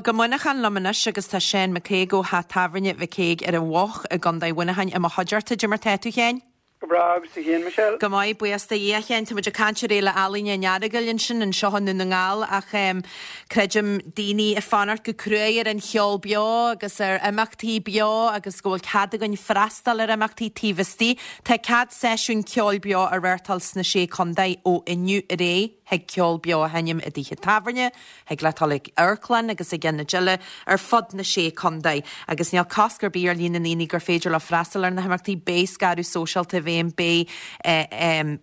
go Muineachán liom anois agus tá Seán McCague ó theach tábhairne McCague ar an Mhuch i gContae Mhuineacháin i mo chuideachta. Cad é mar tá tú, a Sheáin? Go breá, agus tú féin, Michelle? Go maith, buíochas do Dhia, a Sheáin. Tá muid ag caint ar Fhéile Ealaíne an Earagail ansin, anseo i nDún na nGall ach creidim daoine ag fanacht go cruaidh ar an cheol beo agus ar imeachtaí beo agus go bhfuil cead againn freastal ar imeachtaí taobh istigh. Tá cead seisiún ceoil beo a reáchtáil sna Sé Contae ó inniu ar aghaidh. Thig ceol beo a sheinm i dtithe tábhairne, Thig leat dul ag amharclann agus ag ionaid eile ar fud na Sé Contae. Agus níl cosc ar bith ar líon na ndaoine gur féidir leo freastal ar na himeachtaí. Beidh scaradh sóisialta i bhfeidhm, beidh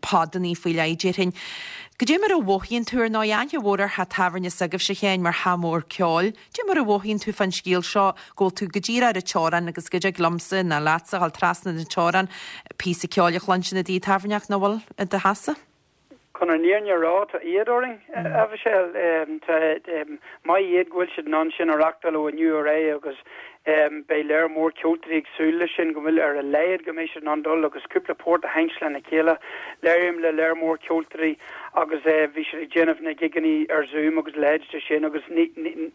podanna faoi leith, déarfainn. Goidé mar a mhothaíonn tú, ar ndóigh, aithne mhór ar theach tábhairne s'agaibhse, a Sheáin, mar theach mór ceoil. Goidé mar a mhothaíonn tú fán scéal seo, go bhfuil tú go díreach ar an teorainn agus go dtig liomsa ná leatsa a dhul trasna na teorann píosa ceoil a chluinstin i dtigh tábhairne ach nach bhfuil i do sheasamh? Chun an fhírinne a rá, tá éad orainn, a Mhichelle. Tá maith iad go bhfuil siad in ann sin a reachtáil ó inniu ar aghaidh agus beidh léar mór ceoltóirí ag súil leis sin, go bhfuil ar a laghad go mbeidh siad in ann dul agus cúpla port a sheinnt lena chéile. Labhraím le léar mór ceoltóirí agus bhí siad ag déanamh na gigeanna ar Zoom agus a leithéid de sin agus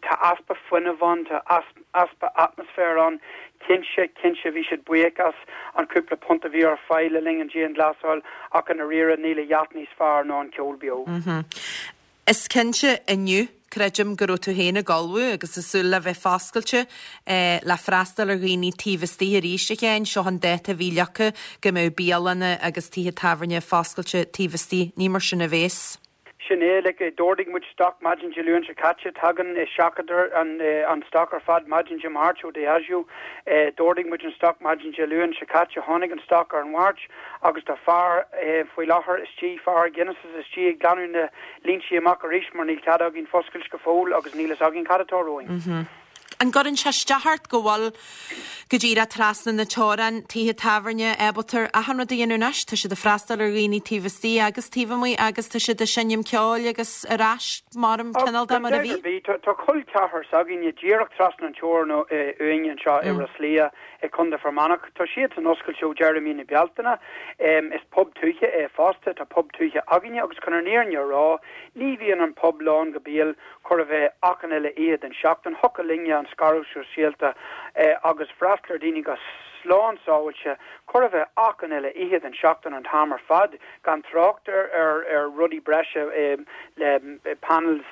tá easpa fuinnimh ann, tá easpa. easpa atmaisféir ann. Cinnte, cinnte bhí siad buíoch as an chúpla punt a bhí ar fáil le linn an dianghlasáil ach i ndáiríre níl a dhath níos fearr ná an ceol beo. Is cinnte inniu, creidim go raibh tú féin ag ullmhú agus ag súil le bheith foscailte le freastal ar dhaoine taobh istigh arís, a Sheáin. Seo an dáta a bhí leagtha go mbeadh bialanna agus tithe tábhairne foscailte taobh istigh. Ní mar sin a bhéas. Sin é, like, d'ordaigh muid stoc maidin Dé Luain seo caite, tagann, seachadtar an, an stoc ar fad maidin Dé Máirt ó Diageo. D'ordaigh muid an stoc maidin Dé Luain seo caite, tháinig an stoc ar an Mháirt agus tá fear faoi láthair istigh, fear Guinness' istigh ag glanadh na línte amach arís mar níl cead againn foscailt go fóill agus níl fhios againn cad atá romhainn. An gcuireann sé isteach ort go bhfuil go díreach trasna na teorann, tithe tábhairne ábalta achan rud a dhéanamh anois? Tá siad ag freastal ar dhaoine taobh istigh agus taobh amuigh agus tá siad ag seinm ceoil agus ar ais mar cineál de mar a bhí. Tá col ceathrar s'againne díreach trasna an teorann uainn anseo i Ros Lao i Contae Fear Manach. Tá siadsan oscailte ó deireadh mí na Bealtaine. Is pub tuaithe é fosta. Tá pub tuaithe againne agus chun an fhírinne a rá, ní bhíonn an pub lán go béal. chóir a bheith achan uile oíche den seachtain. Thiocfadh linne an scaradh sóisialta agus freastal ar daoine go slán sábhailte, chóir a bheith achan uile oíche den seachtain an t-am ar fad, gan trácht ar ar rudaí breise le panels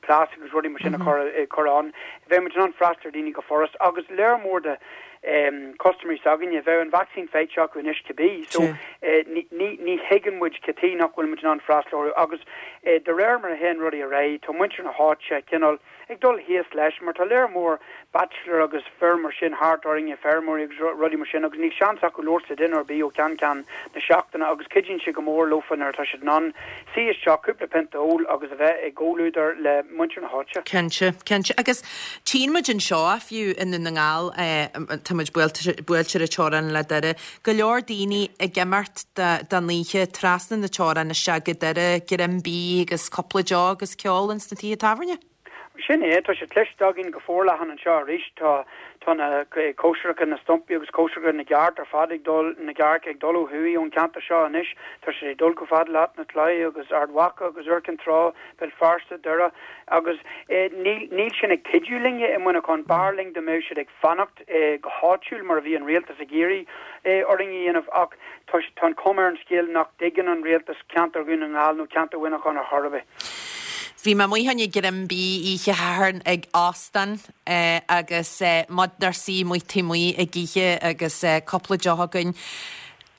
plastic agus rudaí mar sin a chur ann. Bheadh muid in ann freastal ar daoine go furast agus léar mór de custaiméirí s'againne, bheadh an vacsaín faighte acu anois cibé. So ní ní thuigeann muid cad chuige nach bhfuil muid in ann freastal orthu agus De réir mar a théann rudaí ar aghaidh, tá muintir na háite cineál ag dul thíos leis mar tá léar mór bachelor agus fir mar sin thart orainne, feirmeoirí agus rudaí mar sin agus níl seans acu labhairt le duine ar bith ó cheann ceann na seachtaine agus cuidíonn sé go mór leofa nuair atá siad in ann suí isteach, cúpla pionta a ól agus a bheith i gcomhluadar le muintir na háite. Cinnte, cinnte. Agus tchíonn muid anseo, fiú i nDún na nGall, tá muid buailte ar an teorainn le Doire, Go leor daoine ag imeacht don oíche trasna na teorann isteach go Doire, greim bídh agus cúpla deoch agus ceol ins na tithe tábhairne. Sin é, tá sé cloiste againn go forleathan anseo arís. Tá tá na cóisireacha, na stumpaí agus cóisireacha na gcearc ar fad ag dul, na gcearc ag dul ó thuaidh ón cheantar seo anois. Tá siad ag dul chomh fada le Áth na Claí agus Ard Mhacha agus Iúr Cinn Trá, Béal Feirste, Doire agus níl níl sin ag cuidiú linne i Muineachán. B'fhearr linn dá mbeadh siad ag fanacht. go háitiúil mar a bhí an rialtas ag iarraidh orainn a dhéanamh ach tá tá an chuma ar an scéal nach dtuigeann an rialtas ceantar Dhún na nGall nó ceantar Mhuineacháin ar chor ar bith. Bhí mé amuigh fá choinne greim bídh oíche Shathairn ag óstán agus muid inár suí amuigh taobh amuigh ag ithe agus cúpla deoch againn.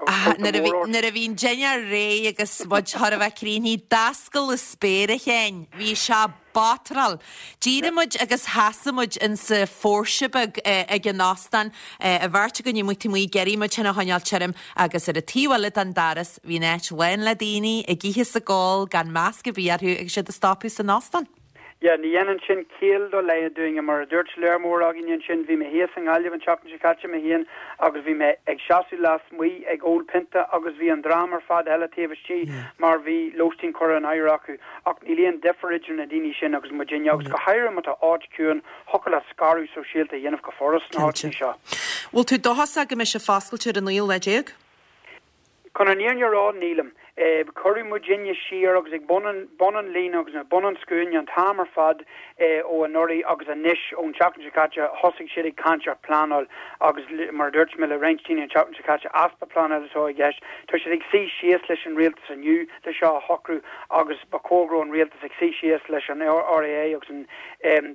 Nuair a bhí nuair a bhí an dinnéar réidh agus muid chóir a bheith críochnaithe, d'oscail an spéir a Sheáin. Bhí sé batráil. D'éirigh muid agus sheasaigh muid insa phóirse beag ag an óstán, an bheirt againn amuigh taobh amuigh ag iarraidh muid féin a choinneáil tirim agus ar an taobh eile den doras bhí an áit lán le daoine ag ithe is ag ól gan masc ar bith orthu agus iad ag stopadh san óstán. Yeah, ní dhéanann sin ciall dá laghad dúinne. Mar a dúirt léar mór againne ansin, bhí mé thíos i nGaillimh an tseachtain seo caite mé féin agus bhí mé ag seasamh lasmuigh ag ól pionta agus bhí an dream ar fad eile taobh istigh mar bhí lóistín curtha in áirithe acu. Ach níl aon difear idir na daoine sin agus muidinne, agus go háirithe má tá áit ciúin, thiocfadh leat scaradh sóisialta a dhéanamh go furast sna háiteanna seo. Bhfuil tú dóchasach go mbeidh sé foscailte ar an naoú lá déag? Chun an fhírinne a rá, nílim. Cuireadh muidinne siar agus ag bun an, bun an líne agus ag bun an scuaine an t-am ar fad ó anuraidh agus anois ón tseachtain seo caite thosaigh siad ag caint ar phleanáil agus mar a dúirt mé le roinnt daoine an tseachtain seo caite, easpa pleanála atá i gceist. Tá siad ag suí síos leis an rialtas inniu le seo a shocrú agus ba chóir go raibh an rialtas ag suí síos leis an RAA agus an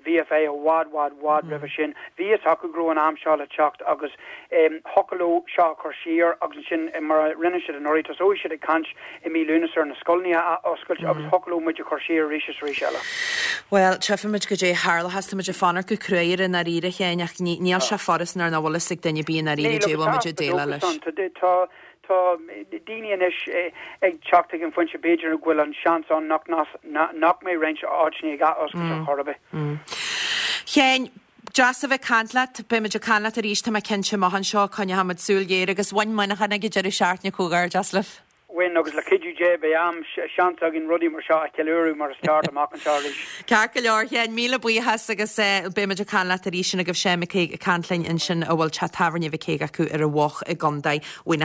VFA i bhfad, bhfad, bhfad roimhe sin. Bhí fhios acu go raibh an am seo le teacht agus thiocfadh leo seo a chur siar agus ansin, mar a rinne siad anuraidh, tosóidh siad ag caint i mí Lúnasa ar na scoileanna a athoscailt agus thiocfadh leo muid a chur siar arís is arís eile. Bhuel, tchífimid goidé a tharlóchas. Tá muid ag fanacht go cruaidh air i ndáiríre, a Sheáin, ach níl sé furast nuair nach bhfuil fhios ag duine ar bith i ndáiríre goidé a bhfuil muid ag déileáil leis. Tá Tá daoine anois ag teacht ag an phointe b'fhéidir go bhfuil an seans ann nach nach mbeidh roinnt áiteanna ag athoscailt ar chor ar bith. Sheáin, Deas a bheith ag caint leat. Beidh muid ag caint leat arís, tá mé cinnte, amach anseo. Coinneoidh muid súil ghéar agus bhain Muineachán ag an deireadh seachtaine comhghairdeas libh. Bhain, agus le cuidiú Dé beidh am, seans againn rudaí mar seo a cheiliúradh mar is ceart amach anseo arís. Ceart go leor, Sheáin, míle buíochas agus beidh muid ag caint leat arís. Sin agaibh Seán Mac Aoidh ag caint linn ansin a bhfuil teach tábhairne Mhic Aoidh acu ar an Mhuch i gContae Mhuineacháin.